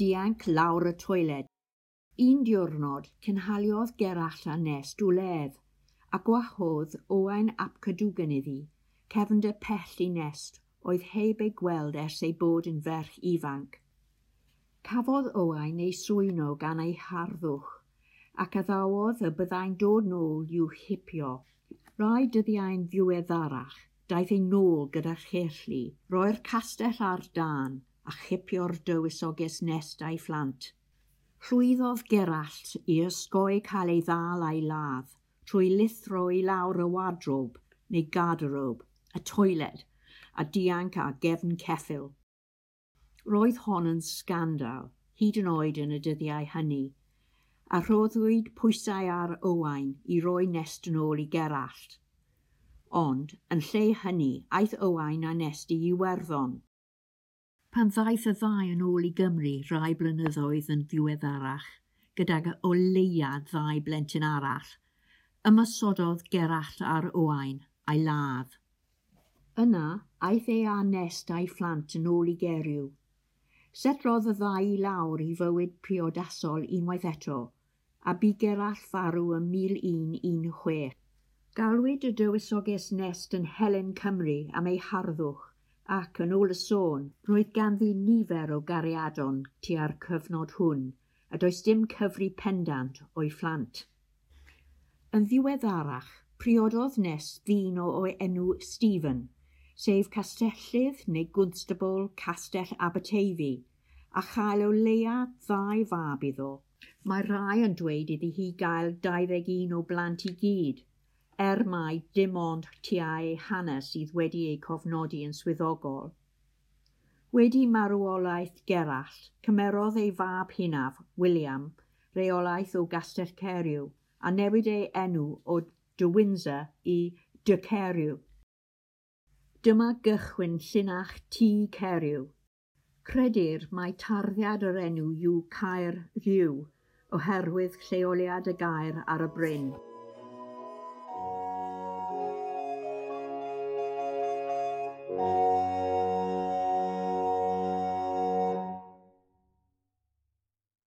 dianc lawr y toiled. Un diwrnod, cynhaliodd Gerallt a Nest wledd, a gwahodd Owain ap Cadwgan iddi, cefnder pell i Nest, oedd heb ei gweld ers ei bod yn ferch ifanc. Cafodd Owain ei swyno gan ei harddwch, ac addawodd y byddai'n dod nôl i'w hipio. Rai dyddiau'n ddiweddarach, daeth ei nôl gyda cheirllu, roi'r castell ar dân a chipio'r dywysoges Nest a'i phlant. Llwyddodd Gerallt i osgoi cael ei ddal a'i ladd trwy lithro i lawr y wardrobe neu garderobe, y toiled, a dianc ar gefn ceffyl. Roedd hon yn sgandal, hyd yn oed yn y dyddiau hynny, a rhoddwyd pwysau ar Owain i roi Nest yn ôl i Gerallt. Ond, yn lle hynny, aeth Owain a Nest i Iwerddon. Pan ddaeth y ddau yn ôl i Gymru rai blynyddoedd yn ddiweddarach, gydag o leia ddau blentyn arall, ymosododd Gerallt ar Owain a'i ladd. Yna, aeth e â Nest a'i phlant yn ôl i Gerw. Setlodd y ddau i lawr i fywyd priodasol unwaith eto, a bu Gerallt farw ym 1116. Galwyd y dywysoges Nest yn Helen Cymru am ei harddwch, ac yn ôl y sôn, roedd ganddi nifer o gariadon tua'r cyfnod hwn, a does dim cyfri pendant o'i phlant. Yn ddiweddarach, priododd Nest ddyn o enw Stephen, sef castellydd neu gwnstabl Castell Aberteifi, a chael o leia ddau fab iddo. Mae rhai yn dweud iddi hi gael 21 o blant i gyd, er mai dim ond tua ei hanner sydd wedi ei cofnodi yn swyddogol. Wedi marwolaeth Gerallt, cymerodd ei fab hynaf, William, reolaeth o Gastell Caeriw, a newid ei enw o de Windsor i de Caeriw. Dyma gychwyn llinach Tŷ Caeriw. Credir mai tarddiad yr enw yw Caer Rhyw, oherwydd lleoliad y gaer ar y bryn.